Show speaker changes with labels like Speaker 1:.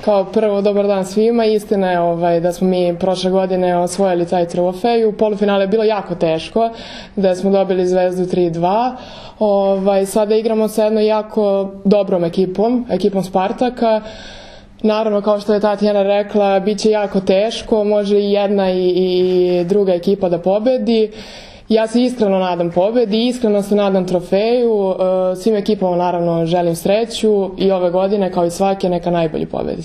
Speaker 1: Kao prvo, dobar dan svima. Istina je da smo mi prošle godine osvojili taj trofej. U polufinale je bilo jako teško, da smo dobili Zvezdu 3-2. Sada igramo sa jednom jako dobrom ekipom Spartaka. Naravno, kao što je Tatjana rekla, bit će jako teško, može i jedna i druga ekipa da pobedi. Ja se iskreno nadam pobedi, iskreno se nadam trofeju, svim ekipama naravno želim sreću i ove godine kao i svake neka najbolji pobedi.